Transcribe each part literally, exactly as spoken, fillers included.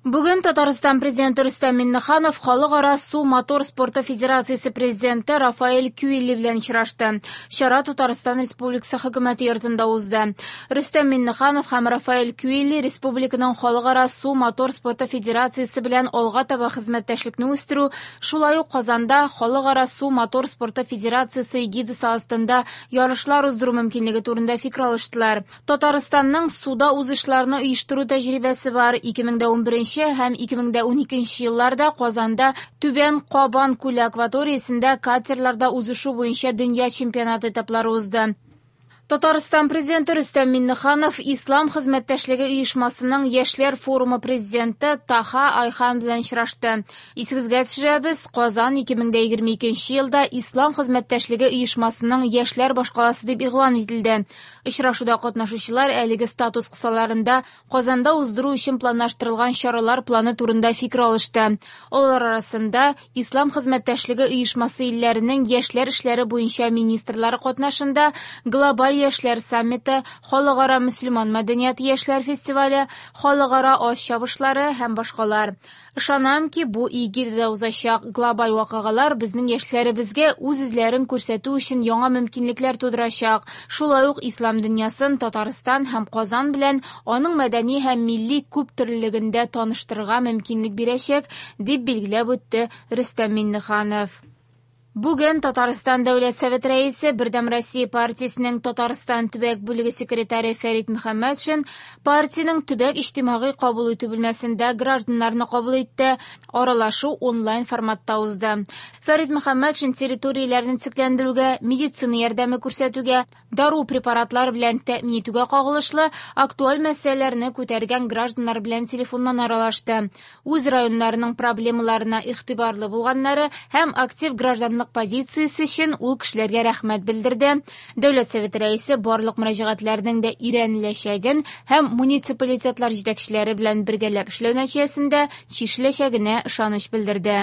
Бүген Татарстан президенты Рөстәм Миңнеханов Халыкара су мотор спорты федерациясе президенты Рафаэль Кюилли белән очрашты. Чара Татарстан Республикасы хөкүмәте йортында узды. Рөстәм Миңнеханов һәм Рафаэль Кюилли республиканың Халыкара су мотор спорты федерациясе белән алга таба хезмәттәшлекне үстерү, шулай ук Казанда Халыкара су мотор спорты федерациясе эгидасы астында ярышлар уздыру мөмкинлеге турында фикер алыштылар. Татарстанның суда узышларны оештыру тәҗрибәсе бар. ике мең дә унберенче һәм ике мең дә уникенче елларда Казанда Түбән Кабан күле акваториясендә катерларда узышу буенча дөнья чемпионаты этаплары узды. Татарстан президенты Рөстәм Миңнеханов Ислам хезмәттәшлеге оешмасының Яшьләр форумы президенты Таха Айхан белән очрашты. Исегезгә төшерәбез, Казан ике мең дә егерме икенче елда Ислам хезмәттәшлеге оешмасының Яшьләр башкаласы дип игълан ителде. Очрашуда катнашучылар әлеге статус кысаларында Казанда уздыру өчен планлаштырылган чаралар планы турында фикер алышты. Алар арасында Ислам хезмәттәшлеге оешмасы илләренең яшьләр эшләре буенча министрлары катнашында глобаль яшьләр саммиты, Халыкара мөселман мәдәнияте яшьләр фестивале, Халыкара аш чабышлары һәм башкалар. Ышанам ки, бу эгидада узачак глобаль вакыйгалар безнең яшьләребезгә үз-үзләрен күрсәтү өчен яңа мөмкинлекләр тудырачак. Шулай ук ислам дөньясын Татарстан һәм Казан белән аның мәдәни һәм милли күп төрлелегендә таныштырырга мөмкинлек бирәчәк, дип билгеләп үтте Рөстәм Миңнеханов. Бүген Татарстан Дәүләт Советы рәисе, Бердәм Россия партиясенең Татарстан төбәк бүлеге секретаре Фәрит Мөхәммәтшин партиянең төбәк иҗтимагый кабул итү бүлмәсендә гражданнарны кабул итте. Аралашу онлайн форматта узды. Фәрит Мөхәммәтшин территорияләрне төзекләндерүгә, медицина ярдәме күрсәтүгә, дару препаратлары белән тәэмин итүгә кагылышлы актуаль мәсьәләләрне күтәргән гражданнар белән телефоннан аралашты. Үз районнарының проблемаларына игътибарлы булганнары һәм актив гражданлык позициясе өчен ул кешеләргә рәхмәт белдерде. Дәүләт Советы рәисе барлык мөрәҗәгатьләрнең дә өйрәнеләчәген һәм муниципалитетлар җитәкчеләре белән бергәләп эшләү нәтиҗәсендә чишеләчәгенә ышаныч белдерде.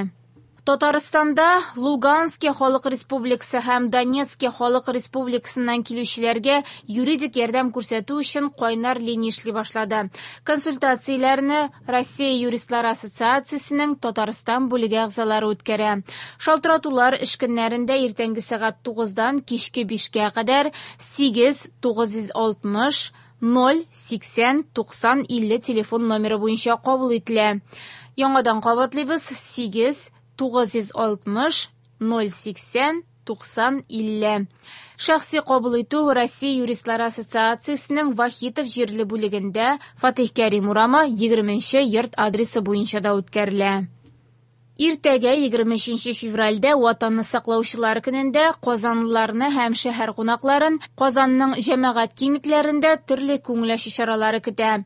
Татарстанда Луганский халык республикасы һәм Донецкий халык республикасыннан килүчеләргә юридик ярдәм күрсәтү өчен кайнар линия эшли башлады. Консультацияләрне Россия юристлары ассоциациясенең Татарстан бүлеге әгъзалары үткәрә. Шалтыратулар эш көннәрендә иртәнге сәгать тугыздан кичке бишкә кадәр сигез тугыз йөз алтмыш ноль сиксән туксан илле телефон номеры буенча кабул ителә. Яңадан кабатлыйбыз: сигез тугыз йөз алтмыш ноль сиксән туксан илле. Шәхси кабул итү Россия юристлары ассоциациясенең Вахитов җирле бүлегендә Фатих Кәрим урамы егерменче йорт адресы буенча да үткәрелә. Иртәгә егерме өченче февральдә Ватанны саклаучылар көнендә казанлыларны һәм шәһәр кунакларын Казанның җәмәгать киңлекләрендә төрле күңел ачу чаралары көтә.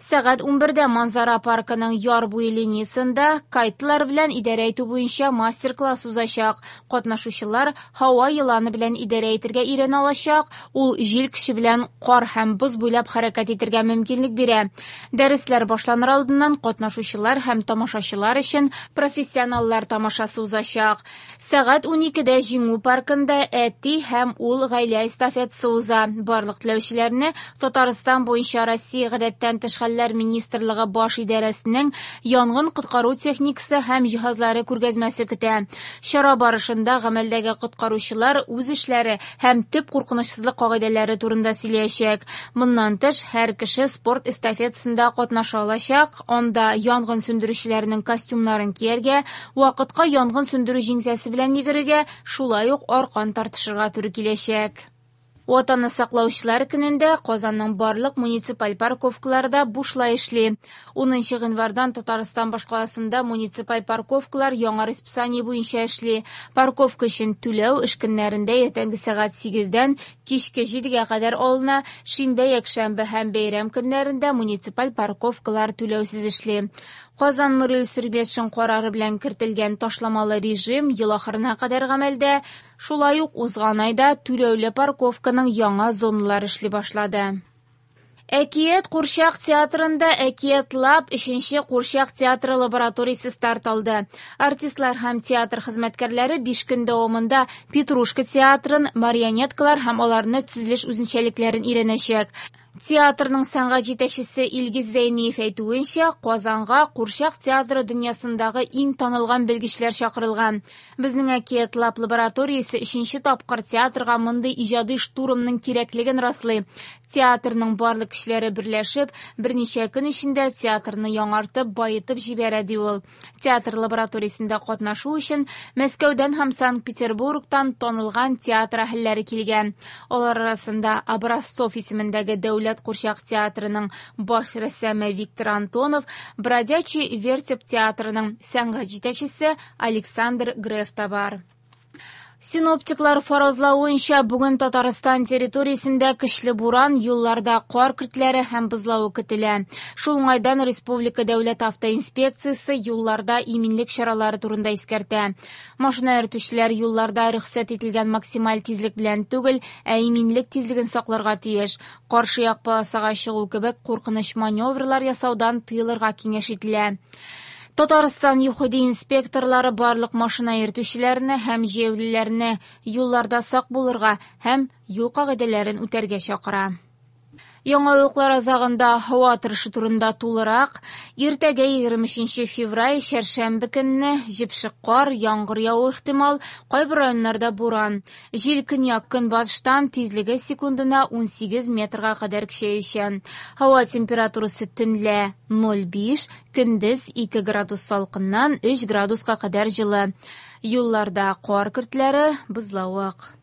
Сәгать унбердә Манзара паркының яр буе линиясендә кайтлар белән идарә итү буенча мастер-класс узачак. Катнашучылар һава еланы белән идарә итәргә өйрәнә алачак. Ул җил көче белән кар һәм боз буйлап хәрәкәт итәргә мөмкинлек бирә. Дәресләр башланыр алдыннан катнашучылар һәм тамашачылар өчен профессионаллар тамашасы узачак. Сәгать уникедә Җиңү паркында әти һәм ул гаилә эстафетасы уза. Барлык теләүчеләрне Татарстан буенча Россия гадәттән тыш хәлләр министрлыгы баш идарәсенең янгын коткару техникасы һәм җиһазлары күргәзмәсе көтә. Чара барышында гамәлдәге коткаручылар үз эшләре һәм төп куркынычсызлык кагыйдәләре турында сөйләячәк. Моннан тыш, һәр кеше спорт эстафетасында катнаша алачак. Анда янгын сүндерүчеләрнең костюмнарын кияргә, вакытка янгын сүндерү җиңсәсе белән йөгерергә, шулай ук аркан тартышырга туры киләчәк. Ватанны саклаучылар көнендә Казанның барлык муниципаль парковкалары да бушлай эшли. Унынчы гыйнвардан Татарстан башкаласында муниципаль парковкалар яңа расписание буенча эшли. Парковка өчен түләү эш көннәрендә иртәнге сәгать сигездән кичке җидегә кадәр алына. Шимбә, якшәмбе һәм бәйрәм көннәрендә муниципаль парковкалар түләүсез эшли. Казан мэры Илсур карары белән кертелгән ташламалы режим ел ахырына кадәр гамәлдә. Шулай ук узган айда түләүле парковканың яңа зоналары эшли башлады. Әкият Курчак театрында Әкият Лаб өченче Курчак театры лабораториясе старт алды. Артистлар һәм театр хезмәткәрләре биш көн дәвамында Петрушка театрын, марионеткалар һәм аларны төзелеш үзенчәлекләрен өйрәнәчәк. Театрның сәнгать җитәкчесе Илгиз Зәйниев әйтүенчә, Казанга курчак театры дөньясындагы иң танылган белгечләр чакырылган. Безнең Әкият Лаб лабораториясе өченче тапкыр театрга мондый иҗади штурмның кирәклеген раслый. Театрның барлык көчләре берләшеп, берничә көн эчендә театрны яңартып, баетып җибәрә, ди ул. Театр лабораториясендә катнашу өчен Мәскәүдән һәм Санкт-Петербургтан танылган театр әһелләре килгән. Алар арасында Образцов исемендәге дәүләт курчак театрының баш рәссамы Виктор Антонов, Бродячий вертеп театрының сәнгать җитәкчесе Александр Греф та бар. Синоптиклар фаразлавынча, бүген Татарстан территориясендә көчле буран, юлларда кар көртләре һәм бозлавык көтелә. Шул уңайдан Республика дәүләт автоинспекциясе юлларда иминлек чаралары турында искәртә. Машина йөртүчеләр юлларда рөхсәт ителгән максималь тизлек белән түгел, ә иминлек тизлеген сакларга тиеш. Каршы як полосага чыгу кебек куркыныч маневрлар ясаудан тыелырга киңәш ителә. Татарстан ЮХИДИ инспекторлары барлык машина йөртүчеләрне һәм җәяүлеләрне юлларда сак булырга һәм юл кагыйдәләрен үтәргә чакыра. Яңалыклар азагында һава торышы турында тулырак. Иртәгә егерме өченче февраль чәршәмбе көнне җепшек кар, яңгыр явуы ихтимал, кайбер районнарда буран. Җил көньяк-көнбатыштан, тизлеге секундына унсигез метрга кадәр көчәючән. Һава температурасы төнлә ноль биш, көндез ике градус салкыннан өч градуска кадәр җылы. Юлларда кар көртләре, бозлавык.